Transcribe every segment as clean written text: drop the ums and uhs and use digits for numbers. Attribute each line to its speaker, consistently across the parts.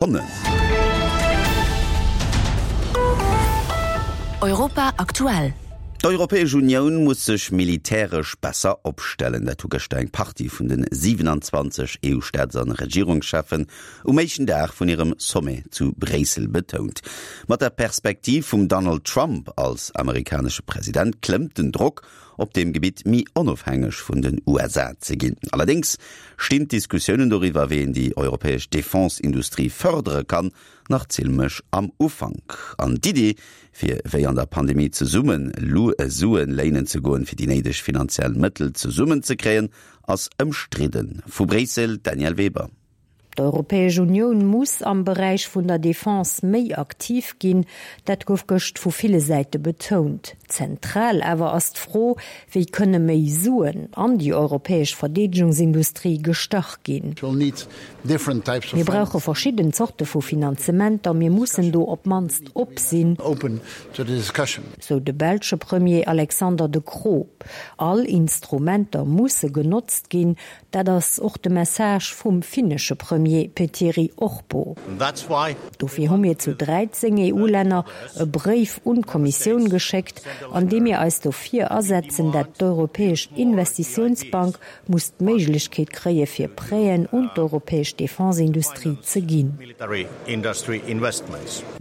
Speaker 1: Sekonnen.
Speaker 2: Europa aktuell.
Speaker 1: D'Europäesch Unioun muss sech militäresch besser opstellen. Dat hu gëschter eng Partie vun de 27 EU-Staats an Regierungscheffen um éischten Dag vun hirem Sommet zu Bréissel betount. Mat der Perspektiv vum Donald Trump als amerikanesche President klëmmt den Drock op deem Gebitt méi onofhängeg vun den USA ze ginn. Allerdéngs stinn d'Diskussiounen doriwwer, wéi een déi europäesch Defense-Industrie fërdere kann, nach zimlech am Ufank. An d'Iddi, fir wéi an der Pandemie zesumme Sue léinen ze goen, fir déi néideg finanziell Mëttel zesummenzekréien, ass ëmstridden. Vu Bréissel, d'Danièle Weber.
Speaker 3: D'Europäesch Unioun muss am Beräich vun der Defense méi aktiv ginn. Dat gouf gëscht vu ville Säite betount. Zentral awer ass d'Fro, wéi kënne méi Suen an déi europäesch Verdeedegungsindustrie gestach ginn. Mir brauche verschidden Zorte vu Finanzementer, mir mussen do op d'mannst op sinn, sou de belsche Premier Alexander De Croo. All Instrumenter musse genotzt ginn, Dat ass och de Message vum finnesche Premier Petteri Orpo. Dofir hu mir zu 13 EU-Länner e Bréif un d'Kommissioun geschéckt, an deem mir eis dofir asetzen, dat d'Europäesch Investitiounsbank muss d'Méiglechkeet kréie fir Prêten un d'europäesch Defenseindustrie ze ginn.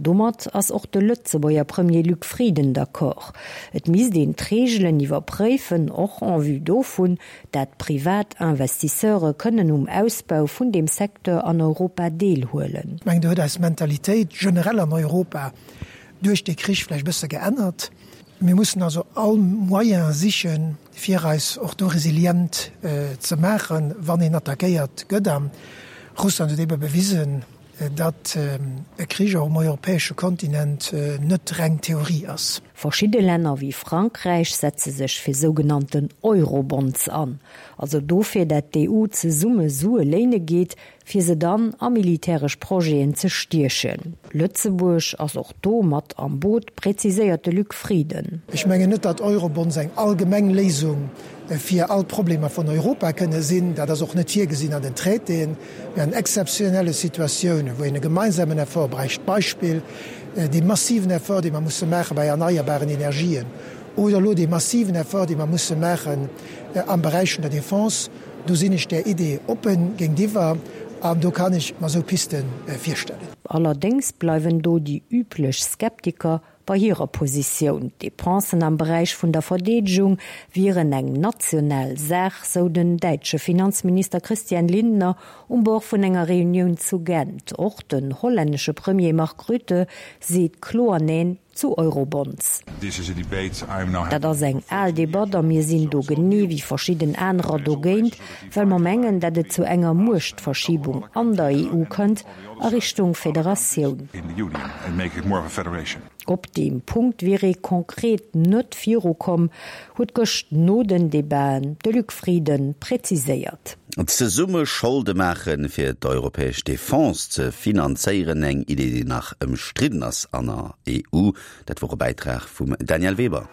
Speaker 3: Domat ass och de Lëtzebuerger Premier Luc Frieden d'accord. Et misst een d'Reegelen iwwerpréifen, och en vue dovun, dat privat Investisseure kënnen um Ausbau vun deem Secteur an Europa deelhuelen.
Speaker 4: Ech mengen, do huet eis Mentalitéit generell an Europa duerch dee Krich vläicht e bësse geännert. Mir mussen also all Moyen sichen, fir eis och do resilient ze maachen, wann een attackéiert gëtt. A Russland huet ebe bewisen, datt e Krich och um europäesche Kontinent net reng Theorie ass.
Speaker 3: Verschidde Länner wéi Frankräich setze sech fir sougenannten Eurobonds an, also dofir, dat d'EU zesumme Sue léine geet, fir se dann a militäresch Projeten ze stiechen. Lëtzebuerg ass och do mat am Boot, präziséiert de Luc Frieden.
Speaker 4: Ech mengen net, datt Eurobonds eng allgemeng Léisung fir all d'Problemer vun Europa kënne sinn. Dat ass och net virgesinn an den Traitéen. Mee an exzeptionelle Situatiounen, wou een e gemeinsamen Effort bräicht, Beispill dee massiven Effort, dee mer musse maache bei erneierbaren Energien, oder elo dee massiven Effort, dee mer musse maachen am Beräich vun der Défense, do sinn ech där Idee oppen géintiwwer an do kann ech mer esou Piste virstellen.
Speaker 3: Allerdéngs bleiwen do déi üblech Skeptiker Bei hirer Positioun, d'Depensen am Beräich vun der Verdeedegung wieren eng national Saach, sou den däitsche Finanzminister Christian Lindner um Bord vun enger Reunioun zu Gent. Och den hollännesche Premier Mark Rutte seet kloer Neen zu Eurobonds. Dat ass eng al Debatt a mir sinn do genee wéi verschidden anerer dogéint, well mer mengen, dat et zu enger Muechtverschiebung an der EU kënnt, a Richtung Federatioun. Op deem Punkt wier ee konkret net virukomm, huet gëscht no den Debaten de Luc Frieden präziséiert.
Speaker 1: Zesumme Scholde maachen, fir d'europäesch Defense ze finanzéieren, eng Idee, déi nach ëmstridden ass an der EU. Dat wor e Bäitrag vum Danièle Weber.